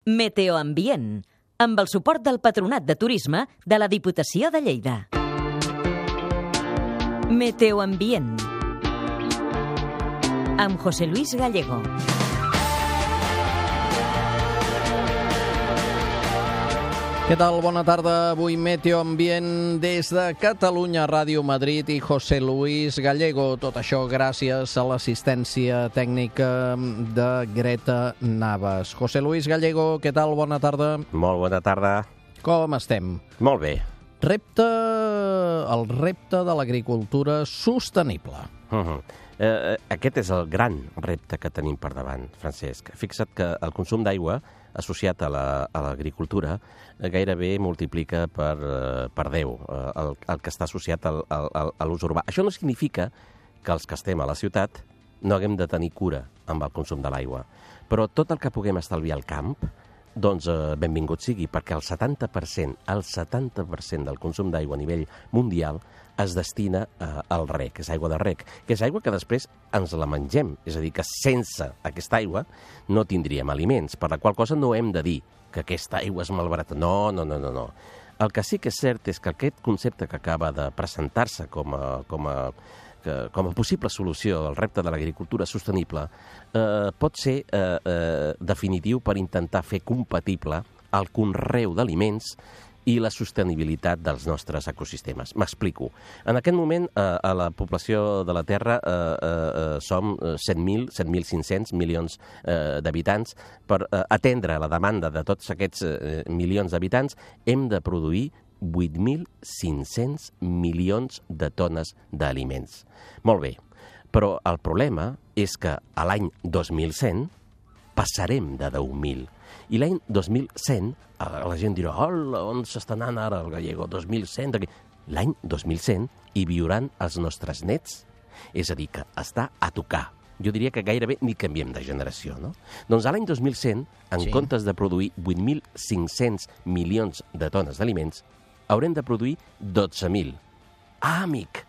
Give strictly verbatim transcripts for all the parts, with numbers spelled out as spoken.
Meteoambient, amb el suport del Patronat de Turisme de la Diputació de Lleida. Meteoambient, amb José Luis Gallego. Què tal? Bona tarda. Avui Meteoambient des de Catalunya Ràdio Madrid i José Luis Gallego. Tot això gràcies a l'assistència tècnica de Greta Navas. José Luis Gallego, què tal? Bona tarda. Molt bona tarda. Com estem? Molt bé. Repte... el repte de l'agricultura sostenible. Uh-huh. Eh, aquest és el gran repte que tenim per davant, Francesc. Fixa't que el consum d'aigua associat a l'agricultura la, gairebé multiplica per, per deu el, el que està associat al, al, a l'ús urbà. Això no significa que els que estem a la ciutat no haguem de tenir cura amb el consum de l'aigua. Però tot el que puguem estalviar al camp, doncs eh, benvingut sigui, perquè el setanta per cent, el setanta per cent del consum d'aigua a nivell mundial es destina eh, al rec, és aigua de rec, que és aigua que després ens la mengem, és a dir, que sense aquesta aigua no tindríem aliments, per la qual cosa no hem de dir que aquesta aigua és malbarata. No, no, no, no, no. El que sí que és cert és que aquest concepte que acaba de presentar-se com a, com a, que, com a possible solució al repte de l'agricultura sostenible eh, pot ser eh, eh, definitiu per intentar fer compatible el conreu d'aliments i la sostenibilitat dels nostres ecosistemes. M'explico. En aquest moment, eh, a la població de la Terra eh, eh, som set mil, set mil cinc-cents milions eh, d'habitants. Per eh, atendre la demanda de tots aquests eh, milions d'habitants, hem de produir vuit mil cinc-cents milions de tones d'aliments. Molt bé, però el problema és que a l'any dos mil cent passarem de deu mil. I l'any dos mil cent, la gent dirà, hola, on s'està anant ara el Gallego? dos mil cent? L'any dos mil cent hi viuran els nostres nets. És a dir, que està a tocar. Jo diria que gairebé ni canviem de generació, no? Doncs a l'any dos mil cent, en sí. comptes de produir vuit mil cinc-cents milions de tones d'aliments, haurem de produir dotze mil. Ah, amic!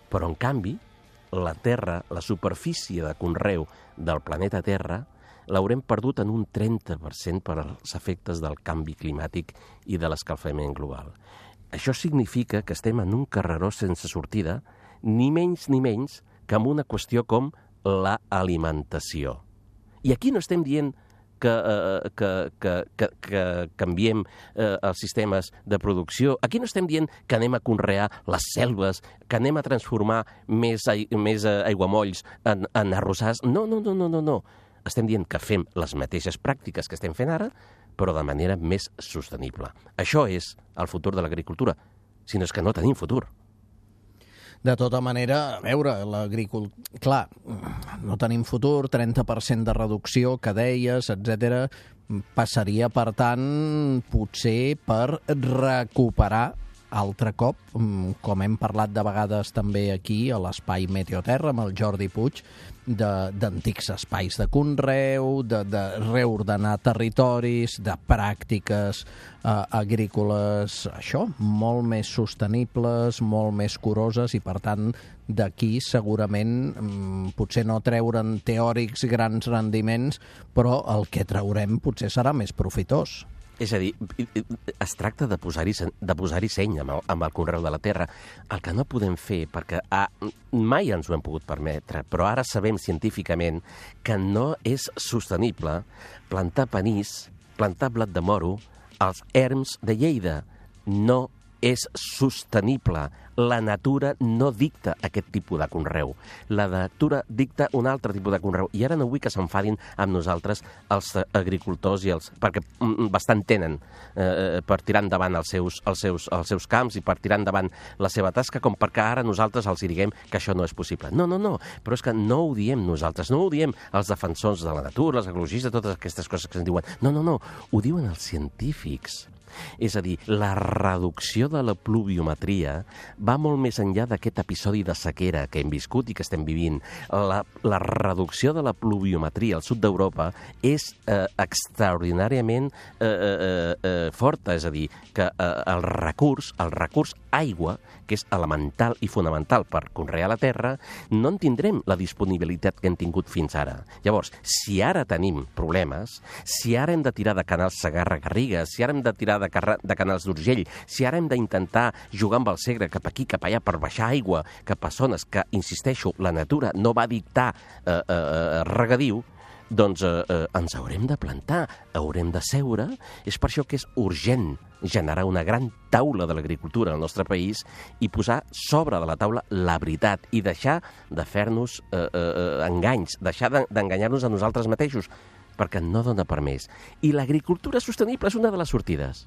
Però, en canvi, la Terra, la superfície de conreu del planeta Terra, l'haurem perdut en un trenta per cent per als efectes del canvi climàtic i de l'escalfament global. Això significa que estem en un carreró sense sortida, ni menys ni menys que amb una qüestió com l'alimentació. I aquí no estem dient que, eh, que, que, que, que canviem eh, els sistemes de producció. Aquí no estem dient que anem a conrear les selves, que anem a transformar més, més aiguamolls en, en arrossars. No, no, no, no, no, no. Estem dient que fem les mateixes pràctiques que estem fent ara, però de manera més sostenible. Això és el futur de l'agricultura, si no és que no tenim futur. De tota manera, a veure, l'agricultura... Clar, no tenim futur, trenta per cent de reducció, que deies, etcètera. Passaria, per tant, potser per recuperar altre cop, com hem parlat de vegades també aquí a l'Espai Meteoterra amb el Jordi Puig, d'antics espais de conreu, de, de reordenar territoris, de pràctiques eh, agrícoles, això, molt més sostenibles, molt més curoses i, per tant, d'aquí segurament potser no treure'n teòrics grans rendiments, però el que traurem potser serà més profitós. És a dir, es tracta de posar-hi de posar-hi seny amb el, amb el conreu de la terra. El que no podem fer, perquè ah, mai ens ho hem pogut permetre, però ara sabem científicament que no és sostenible plantar panís, plantar blat de moro als erms de Lleida. No és sostenible. La natura no dicta aquest tipus de conreu. La natura dicta un altre tipus de conreu. I ara no vull que s'enfadin amb nosaltres els agricultors, i els, perquè bastant tenen eh, per tirar endavant els seus, els, seus, els seus camps i per tirar endavant la seva tasca, com perquè ara nosaltres els diguem que això no és possible. No, no, no. Però és que no ho diem nosaltres, no ho diem els defensors de la natura, els ecologistes, totes aquestes coses que ens diuen. No, no, no. Ho diuen els científics. És a dir, la reducció de la pluviometria va molt més enllà d'aquest episodi de sequera que hem viscut i que estem vivint. La, la reducció de la pluviometria al sud d'Europa és eh, extraordinàriament eh, eh, eh, forta, és a dir, que eh, el recurs, el recurs aigua, que és elemental i fonamental per conrear la terra, no en tindrem la disponibilitat que hem tingut fins ara. Llavors, si ara tenim problemes, si ara hem de tirar de canals Segarra-Garrigues, si ara hem de tirar de, de canals d'Urgell, si ara hem d'intentar jugar amb el Segre cap aquí, cap allà, per baixar aigua cap a zones que, insisteixo, la natura no va dictar eh, eh, regadiu, doncs eh, eh, ens haurem de plantar, haurem de seure. És per això que és urgent generar una gran taula de l'agricultura al nostre país i posar sobre de la taula la veritat i deixar de fer-nos eh, eh, enganys, deixar d'enganyar-nos a nosaltres mateixos, perquè no dona per més. I l'agricultura sostenible és una de les sortides.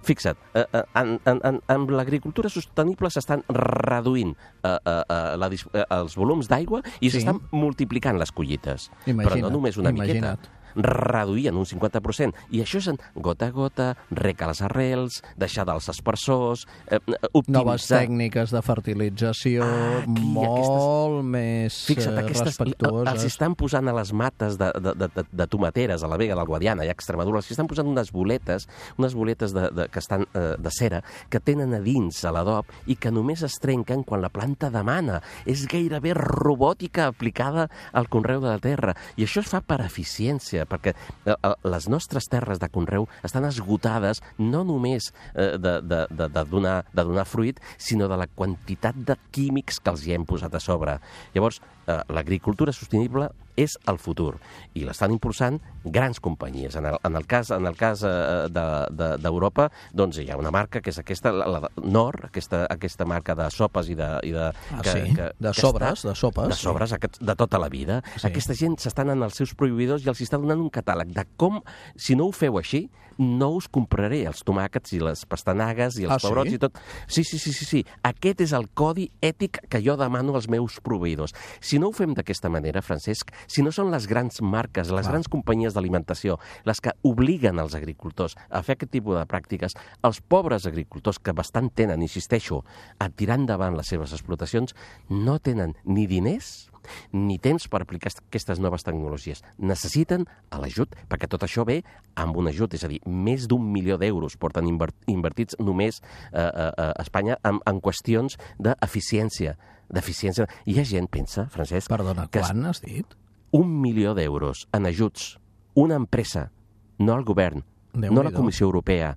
Fixa't, eh, eh, en, en, en, en l'agricultura sostenible s'estan reduint eh, eh, la, eh, els volums d'aigua i Sí. s'estan multiplicant les collites. Imagina't, Però no només una imagina't. miqueta. Reduir en un cinquanta per cent. I això és en gota a gota, rec a les arrels, deixar dels aspersors, eh, optimitzar... Noves tècniques de fertilització Ah, aquí, molt més Fixa't, eh, aquestes, respectuoses. els estan posant a les mates de, de, de, de, de tomateres a la Vega del Guadiana i a Extremadura, els estan posant unes boletes, unes boletes de, de, que estan eh, de cera, que tenen a dins a l'adob i que només es trenquen quan la planta demana. És gairebé robòtica aplicada al conreu de la terra. I això es fa per eficiència, perquè eh, les nostres terres de conreu estan esgotades no només eh, de, de, de, de, donar, de donar fruit, sinó de la quantitat de químics que els hi hem posat a sobre. Llavors, eh, l'agricultura sostenible és el futur i l'estan impulsant grans companyies. En el, en el cas, en el cas eh, d'Europa, de, de, doncs hi ha una marca que és aquesta, la, la Nor, aquesta, aquesta marca de sopes i de... I de Ah, que, sí? que, De que sobres, està, de sopes, De sobres, sí. De tota la vida. Sí. Aquesta gent s'estan en els seus prohibidors i els està donant un catàleg de com, si no ho feu així, no us compraré els tomàquets i les pastanagues i els Ah, sí? pebrots i tot. Sí, sí, sí, sí, sí. Aquest és el codi ètic que jo demano als meus proveïdors. Si no ho fem d'aquesta manera, Francesc, si no són les grans marques, les Clar. grans companyies d'alimentació, les que obliguen els agricultors a fer aquest tipus de pràctiques, els pobres agricultors que bastant tenen, insisteixo, a tirar endavant les seves explotacions, no tenen ni diners ni temps per aplicar aquestes noves tecnologies. Necessiten l'ajut, perquè tot això ve amb un ajut, és a dir, més d'un milió d'euros porten invertits només eh, a Espanya en, en qüestions d'eficiència. d'eficiència. Hi ha gent, pensa, Francesc... Perdona, que quan has dit? un milió d'euros en ajuts, una empresa, no el govern, Déu no la n'hi do. Comissió Europea,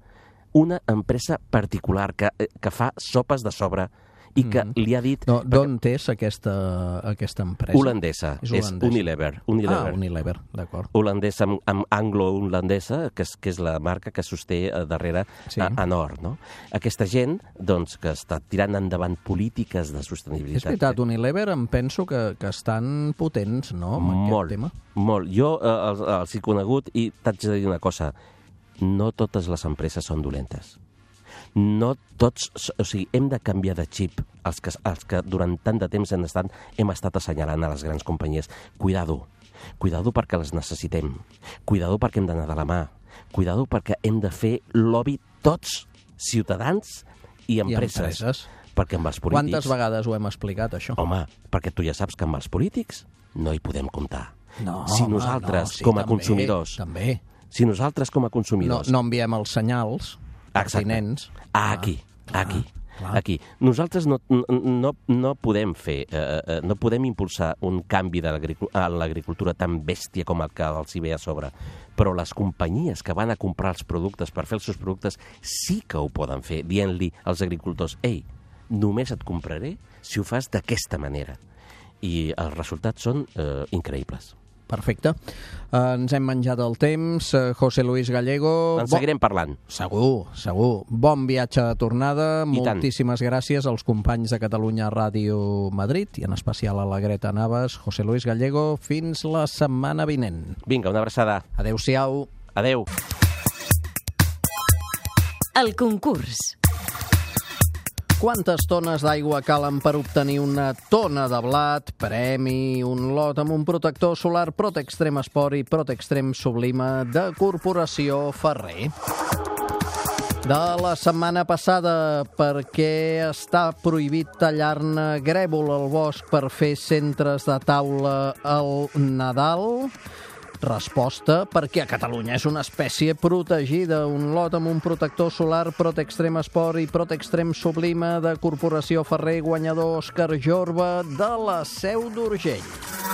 una empresa particular que, que fa sopes de sobre i que Mm. li ha dit... No, d'on és aquesta, aquesta empresa? Holandesa, És és, holandesa. Unilever. Unilever. Ah, Unilever, d'acord. Holandesa amb, amb anglo-holandesa, que és, que és la marca que sosté eh, darrere Sí. a, a Nord. No? Aquesta gent doncs, que està tirant endavant polítiques de sostenibilitat. És veritat, Unilever em penso que, que estan potents, no?, amb molt, aquest tema. molt. Jo eh, els, els he conegut i t'haig de dir una cosa. No totes les empreses són dolentes. No tots, o sigui, hem de canviar de xip els que, els que durant tant de temps hem estat, hem estat assenyalant a les grans companyies. Cuidado, cuidado perquè les necessitem. Cuidado perquè hem d'anar de la mà. Cuidado perquè hem de fer lobby tots, ciutadans i empreses. I empreses. Perquè amb els polítics... Quantes vegades ho hem explicat, això? Home, perquè tu ja saps que amb els polítics no hi podem comptar. No, si home, nosaltres, no, sí, com a també, consumidors... També. Si nosaltres, com a No, consumidors... no enviem els senyals pertinents. Ah, aquí, aquí, clar. aquí. Nosaltres no, no, no podem fer, eh, eh, no podem impulsar un canvi de l'agricu- a l'agricultura tan bèstia com el que els hi ve a sobre, però les companyies que van a comprar els productes per fer els seus productes sí que ho poden fer, dient-li als agricultors: ei, només et compraré si ho fas d'aquesta manera. I els resultats són eh, increïbles. Perfecte. Uh, ens hem menjat el temps. Uh, José Luis Gallego... En seguirem parlant. Segur, segur. Bon viatge de tornada. I tant. Moltíssimes gràcies als companys de Catalunya Ràdio Madrid i en especial a la Greta Navas. José Luis Gallego, fins la setmana vinent. Vinga, una abraçada. Adéu-siau. Adéu. El concurs. Quantes tones d'aigua calen per obtenir una tona de blat, premi, un lot amb un protector solar Protextrem Esport i Protextrem Sublima de Corporació Ferrer? De la setmana passada, per què està prohibit tallar-ne grèvol al bosc per fer centres de taula al Nadal? Resposta, perquè a Catalunya és una espècie protegida, un lot amb un protector solar Protextrem Esport i Protextrem Sublima de Corporació Ferrer, guanyador Òscar Jorba de la Seu d'Urgell.